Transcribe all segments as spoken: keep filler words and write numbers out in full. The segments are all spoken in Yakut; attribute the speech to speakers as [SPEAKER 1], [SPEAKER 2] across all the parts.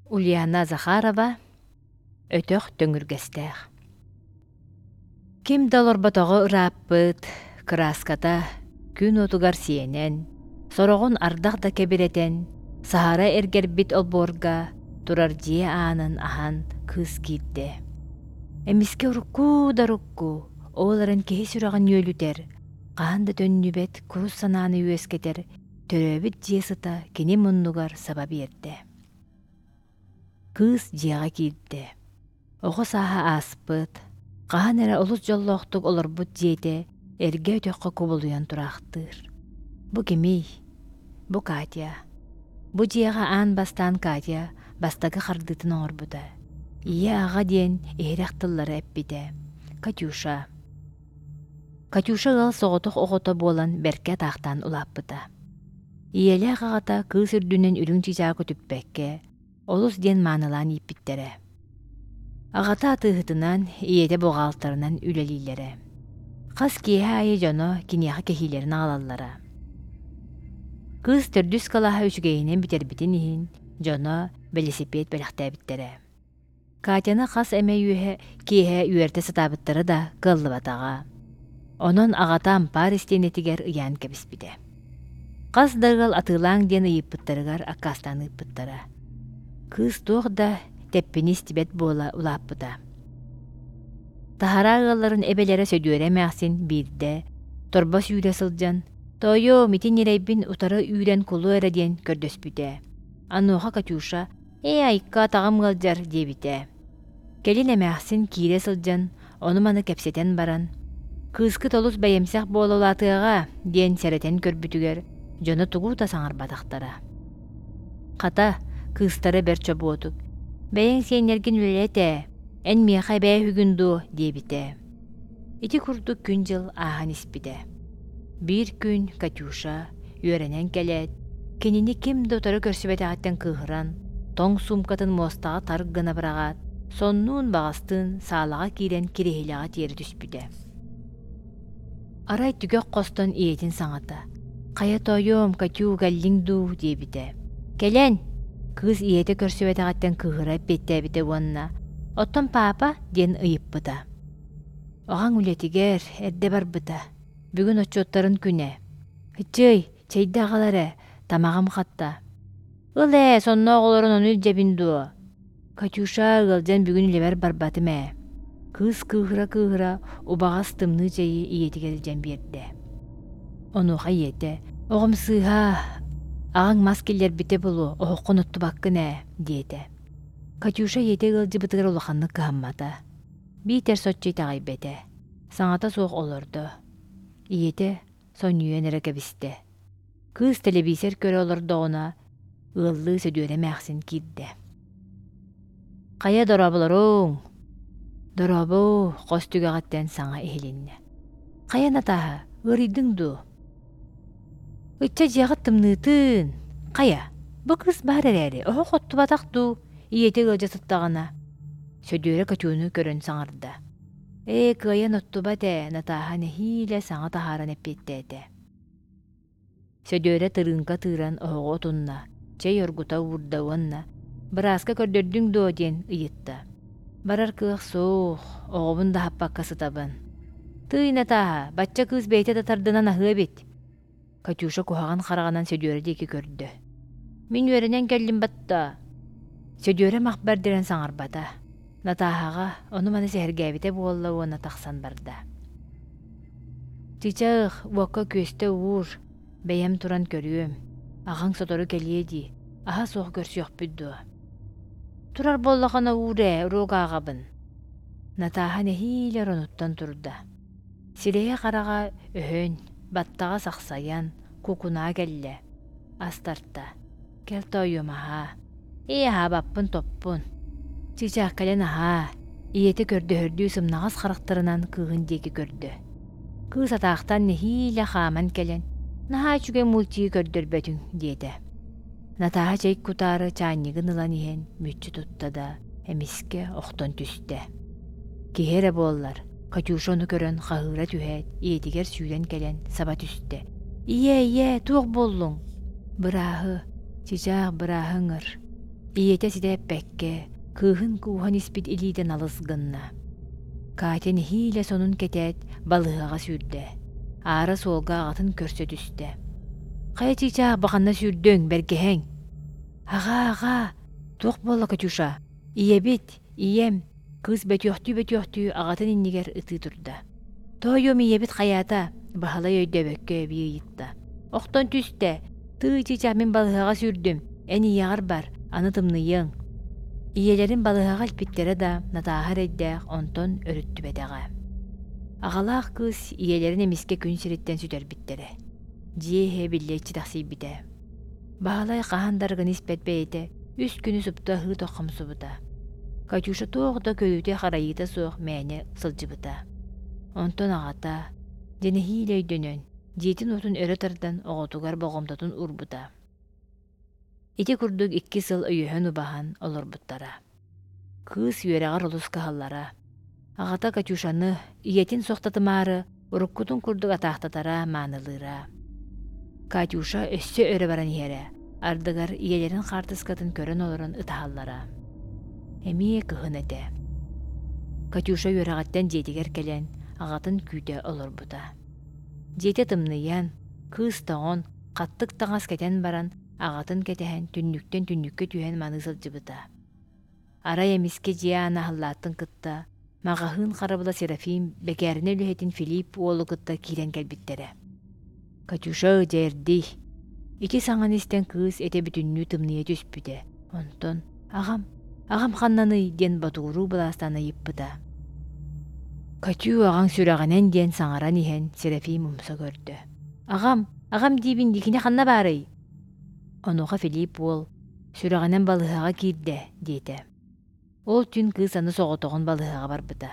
[SPEAKER 1] Ульяна Захарова Өтөх төҥүргэстээх. Ким да олорботоҕо ырааппыт, кырааската күн уотугар сиэнэн, сороҕун ардах да кэбирэтэн, саһара эргэрбит олбуорга турар дьиэ аанын аһан кыыс киирдэ. Эмискэ урукку да урукку, ол эрэн киһи сүрэҕин үөлүтэр, хаһан да төннүбэт курус санааны үөскэтэр төрөөбүт дьиэ сыта кини муннугар саба биэрдэ. Кыыс дьиэҕэ киирдэ. Оҕо сааһа ааспыт, хаһан эрэ олус дьоллоохтук олорбут дьиэтэ эргэ өтөххө кубулуйан тураахтыыр. Бу кимий? Бу Катя. Бу дьиэҕэ аан бастаан Катя бастакы хардыытын оҥорбута. Ийэ-аҕа диэн иһирэх тыллары эппитэ. Катюша. Катюша ыал соҕотох оҕото буолан бэркэ атаахтаан улааппыта. Ийэлээх аҕата кыыс үрдүнэн үрүҥ чыычаах көтүппэккэ, олус диэн маанылаан ииппиттэрэ. Аҕата атыыһытынан, ийэтэ буҕаалтарынан үлэлииллэрэ. Хас киэһэ аайы дьоно киниэхэ кэһиилэрин аҕалаллара. Кыыс төрдүс кылааһы үчүгэйинэн бүтэрбитин иһин дьоно бэлисипиэт бэлэхтээбиттэрэ. Катяны хас эмэ үөһэ киэһэ үөрдэ сатаабыттара да кыаллыбатаҕа. Онон аҕата ампаар истиэнэтигэр ыйаан кэбиспитэ. Хас да ыал атыылааҥ диэн ыйыппыттарыгар аккаастаан ыыппыттара. Кыыс туох да тэппини истибэт буола улааппыта. Таһараа ыалларын эбэлэрэ Сөдүөрэ эмээхсин биирдэ торбос үүрэ сылдьан «Тоойуом, ити ньирэйбин утары үүрэн кулу эрэ» диэн көрдөспүтэ. Онуоха Катюша «Ээ, айка, атаҕым ыалдьар» диэбитэ. Кэлин эмээхсин киирэ сылдьан ону-маны кэпсэтэн баран «Кыыскыт олус бэйэмсэх буола улаатыаҕа» диэн сэрэтэн көрбүтүгэр дьоно тугу да саҥарбатахтара. Хата, кыыстара бэрт чобуотук «Бэйэҥ сиэннэргин үлэлэт ээ, эн миэхэ эбээ үһүгүн дуо?» диэбитэ. Ити курдук күн-дьыл ааһан испитэ. Биир күн Катюша үөрэнэн кэлээт, кинини ким да утары көрсүбэтэҕиттэн кыыһыран, тоҥ суумкатын муостаҕа тар гына быраҕаат, соннуун баҕастыын саалаҕа киирэн кириэһилэҕэ тиэрэ түспүтэ. Арай түгэх хостон ийэтин саҥата «Хайа тоойуом, Катю, кэллиҥ дуу?» диэбитэ. «Кэлэн!» Кыыс ийэтэ көрсүбэтэҕиттэн кыыһыра эппиэттээбитэ уонна «Оттон паапа?» диэн ыйыппыта. Аҕаҥ үлэтигэр эрдэ барбыта. Бүгүн отчуоттарын күнэ. Ыччыай, чэйдэ аҕал эрэ, тамаҕым хатта. Ыл ээ, сонноох олорон ону илдьэбин дуо? Катюша ыалдьан бүгүн үлэбэр барбатым ээ. Кыыс кыыһыра-кыыһыра убаҕас тымныы чэйи ийэтигэр илдьэн биэрдэ. Онуоха ийэтэ «Оҕом сыыһа, аҕаҥ мас киллэрбитэ буолуо, оһоххун оттубаккын ээ» диэтэ. Катюша ийэтэ ыалдьыбытыгар улаханнык кыһаммата. Биитэр соччо итэҕэйбэтэ. Саҥата суох олордо. Ийэтэ сонньуйан эрэ кэбистэ. Кыыс тэлэбиисэр көрө олордоҕуна, ыаллыы Сөдүөрэ эмээхсин киирдэ. «Хайа дорооболоруҥ?» «Дорообо!» хос түгэҕиттэн саҥа иһилиннэ. «Хайа Натааһа, ыарыйдыҥ дуо?» «Ычча дьиэҕит тымныытын! Хайа, бу кыыс баар эрээри, оһох оттубатах дуу?» ийэтэ ыалдьа сыттаҕына. Сөдүөрэ Катюну көрөн саҥарда. «Ээ, кыайан оттубат ээ», Натааһа нэһиилэ саҥа таһааран эппиэттээтэ. Сөдүөрэ тырыыҥка тыыран оһоҕу отунна, чэй оргута уурда уонна «Бырааска көрдөрдүҥ дуо?» диэн ыйытта. «Барар кыах суох, оҕобун да аһаппакка сытабын». «Тыый, Натааһа, бачча кыыс бэйэтэ да тардынан аһыа эбит». Катюша куһаҕан хараҕынан Сөдүөрэ диэки көрдө. «Мин үөрэнэн кэллим батта». Сөдүөрэ мах бэрдэрэн саҥарбата. Натааһаҕа ону-маны сэһэргээбитэ буолла уонна тахсан барда. «Чычах, уокка күөстэ уур, бэйэм туран көрүөм. Аҕаҥ сотору кэлиэ дии, аһа суох көрсүөхпүт дуо?» «Турар буоллахына уур ээ, уруок ааҕабын». Натааһа нэһиилэ оронуттан турда. Сирэйэ-хараҕа өһөн, баттаҕа сахсайан, кукунаа кэллэ. Ас тарта. «Кэл тоойуом аһаа». «Ээ, аһаабаппын топпун». Чыычаах кэлэн аһаа, ийэтэ көрдөһөрдүү сымнаҕас харахтарынан кыыһын диэки көрдө. Кыыс атаахтан нэһиилэ хааман кэлэн «Наһаа үчүгэй мультигы көрдөрбөтүҥ» диэтэ. Натааһа чэй кутаары чаанньыгын ылан иһэн мүччү тутта да, эмискэ охтон түстэ. Киһи эрэ буоллар, Катюша ону көрөн хаһыыра түһээт, ийэтигэр сүүрэн кэлэн саба түстэ. «Ийээ, ийээ, туох буоллуҥ?» «Бырааһы, чыычаах бырааһы ыҥыр». Ийэтэ ситэ эппэккэ, кыыһын кууһан испит илиитэ налыс гынна. Катя нэһиилэ сонун кэтээт, балыыһаҕа сүүрдэ. Аара суолга аҕатын көрсө түстэ. «Хайа чыычаах, баханна сүүрдүҥ, бэргэһэҥ?» «Аҕаа, аҕаа, туох буолла, Катюша? Ийэбит, ийэм!» Кыыс бөтүөхтүү-бөтүөхтүү аҕатын иннигэр ытыы турда. «Тоойуом, ийэбит хайаата?» Баһылай өйдөөбөккө эбии ыйытта. «Охтон түстэ. Тыый, чыычаах, мин балыыһаҕа сүүрдүм. Эн ийэҕэр бар, аны тымныйыаҥ». Ийэлэрин балыыһаҕа илпиттэрэ да, Натааһа эрэйдээх онтон өрүттүбэтэҕэ. Аҕалаах кыыс ийэлэрин эмискэ күн сириттэн сүтэрбиттэрэ. Дьиэ иһэ биллэ иччитэхсийбитэ. Баһылай хаһан да арыгыны испэт бэйэтэ үс күнү супту аһыы тоххомсубута. Катюша туох да көрүүтэ-харайыыта суох мээнэ сылдьыбыта. Онтон аҕата, дьэ нэһиилэ өйдөнөн, дьиэтин-уотун өрө тардан оҕотугар болҕомтотун уурбута. Ити курдук икки сыл өйөһөн-убаһан олорбуттара. Кыыс үөрэҕэр олус кыһаллара. Аҕата Катюшаны, ийэтин суохтатымаары, уруккутун курдук атаахтатара, маанылыыра. Катюша өссө өрө баран иһэрэ, ардыгар ийэлэрин хаартыскатын көрөн олорон ытаһаллара. Эмиэ кыһын этэ. Катюша үөрэҕиттэн дьиэтигэр кэлэн, аҕатын күүтэ олорбута. Дьиэтэ тымныйан, кыыс тоҥон, хаттык таҥас кэтэн баран, аҕатын кэтэһэн түннүктэн түннүккэ түһэн маныы сылдьыбыта. Арай эмискэ дьиэ аана аһыллаатын кытта, маҕаһыын харабыла Серафим бэкээринэ үлэһитин Филипп уолу кытта киирэн кэлбиттэрэ. «Катюша, дьэ эрдий!» Ити саҥаны истэн кыыс этэ бүтүннүү тымныйа түспүтэ. Онтон «Аҕам, аҕам ханнаный?» диэн ботугуруу былаастаан ыйыппыта. «Катю, аҕаҥ сүрэҕинэн» диэн саҥаран иһэн Серафим умса көрдө. «Аҕам, аҕам диибин дии, кини ханна баарый?» Онуоха Филипп уол «Сүрэҕинэн балыыһаҕа киирдэ» диэтэ. Ол түүн кыыс аны соҕотоҕун балыыһаҕа барбыта.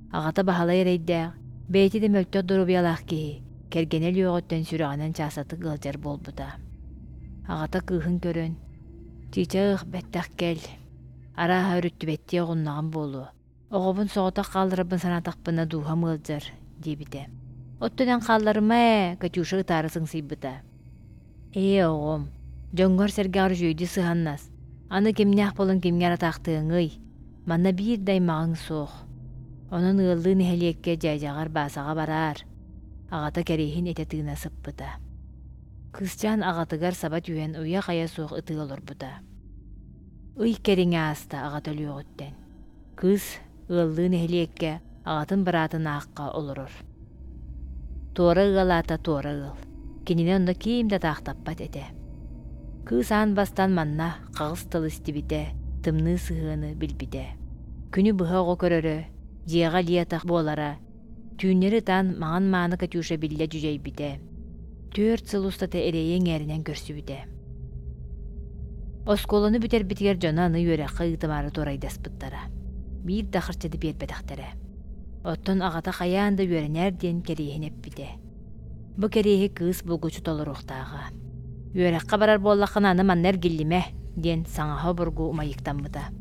[SPEAKER 1] Аҕата Баһылай эрэйдээх, бэйэтэ да мөлтөх доруобуйалаах киһи, кэргэнэ өлүөҕүттэн сүрэҕинэн чаастатык ыалдьар буолбута. Аҕата кыыһын көрөн, «Чыычаах, бэттэх кэл, арааһа өрүттүбэттии оҕуннаҕым буолуо, оҕобун соҕотох хаалларарбын санаатахпына дууһам ыалдьар» диэбитэ. «Оттон эн хаалларыма ээ», Катюша ытаары сыҥсыйбыта. «Ээ, оҕом, дьоҥҥор-сэргэҕэр үчүгэйдик сыһаннас, аны кимнээх буолан кимҥэ эрэ атаахтыаҥый, манна биир да аймаҕыҥ суох. Онон ыаллыы нэһилиэккэ дьээдьэҕэр Баасаҕа бараар», аҕата кэриэһин этэ тыына сыппыта. Кыысчаан аҕатыгар саба түһэн уйа-хайа суох ытыы олорбута. Ый кэриҥэ ааста аҕата өлүөҕүттэн. Кыыс ыаллыы нэһилиэккэ аҕатын быраатын аахха олорор. Туора ыал аата туора ыал. Кинини онно ким да атаахтаппат этэ. Кыыс аан бастаан манна хаҕыс тыл истибитэ, тымныы сыһыаны билбитэ. Күнү быһа оҕо көрөрө, дьиэҕэ илии-атах буолара, түүннэри ытаан маҥан мааны Катюша биллэ дьүдьэйбитэ. Түөрт сыл устата эрэйи эҥээринэн көрсүбүтэ. Оскуоланы бүтэрбитигэр дьоно аны үөрэххэ ыытымаары туорайдаспыттара. Биир да харчыны биэрбэтэхтэрэ. Оттон аҕата хайаан да үөрэнээр диэн кэриэһин эппитэ. Бу кэриэһи кыыс булгуччу толоруохтааҕа. «Үөрэххэ барар буоллаххына аны манна эргиллимэ» диэн саҥаһа обургу умайыктаммыта.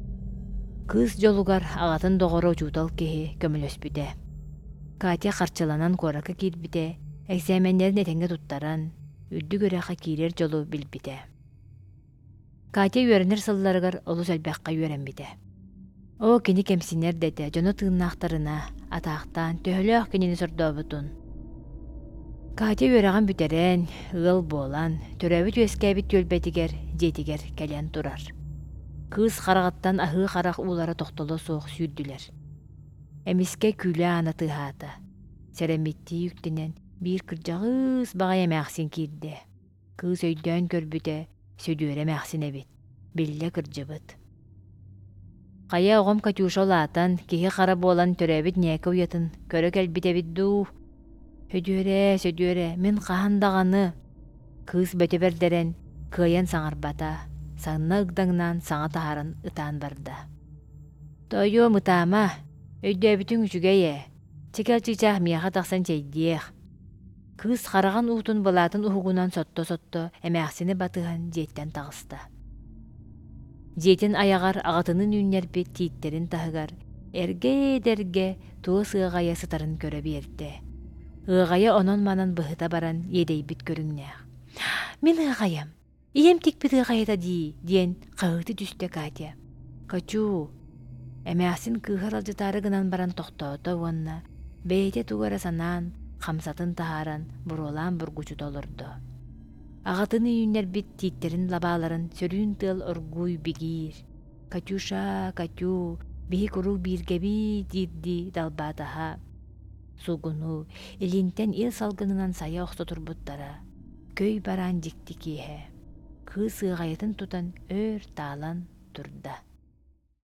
[SPEAKER 1] Кыыс дьолугар аҕатын доҕоро учуутал киһи көмөлөспүтэ. Катя харчыланан куоракка киирбитэ, эксээмэннэрин этэҥҥэ туттаран, үрдүк үөрэххэ киирэр дьолу билбитэ. Катя үөрэнэр сылларыгар олус элбэххэ үөрэммитэ. Оо, кини кэмсинэр да этэ, дьоно тыыннаахтарына, атаахтаан, төһөлөөх кинини сордообутун. Катя үөрэҕин бүтэрэн, ыал буолан, төрөөбүт-үөскээбит түөлбэтигэр, дьиэтигэр кэлэн турар. Кыыс хараҕыттан аһыы харах уулара тохтоло суох сүүрдүлэр. Эмискэ күүлэ аана тыаһаата. Сэрэммиттии үктэнэн, биир кырдьаҕыс баҕайы эмээхсин киирдэ. Кыыс өйдөөн көрбүтэ, Сөдүөрэ эмээхсин эбит, биллэ кырдьыбыт. Хайа оҕом Катюша улаатан, киһи-хара буолан төрөөбүт ньээкэ уйатын көрө кэлбит эбит дуу? Сөдүөрэ, Сөдүөрэ, мин хаһан даҕаны Кыыс бөтө бэрдэрэн, кыайан саҥарбата, санна ыгдаҥнаан саҥа таһааран ытаан барда. Тоойуом, ытаама, өйдөөбүтүҥ үчүгэй ээ, чэкэл чыычаах миэхэ тахсан чэйдиэх. Кыыс хараҕын уутун былаатын уһугунан сотто-сотто эмээхсини батыһан дьиэттэн таҕыста. Дьиэтин айаҕар аҕатынын үүннэрбит тииттэрин таһыгар эргэ-эдэргэ туос ыаҕайа сытарын көрө биэрдэ. Ыаҕайа онон-манан быһыта баран иэдэйбит көрүҥнээх. «Мин ыаҕайам, Ийэм тикпит ыаҕайата дии, диэн хаһыытыы түстэ Катя. Катю, эмээхсин кыыһа аралдьытаары гынан баран тохтоото уонна бэйэтэ тугу эрэ санаан, хамсатын таһааран, буруолаан бургучута олордо. Аҕатын үүннэрбит тииттэрин лабааларын сөрүүн тыал оргууй бигиир. Катюша, Катю, биһи куруук бииргэбит диирдии далбаатаһа. Суугунуу, илинтэн ил салгынынан сайа охсо турбуттара. Көй бараан дьикти киэһэ. Кыыс ыаҕайатын тутан өр таалан турда.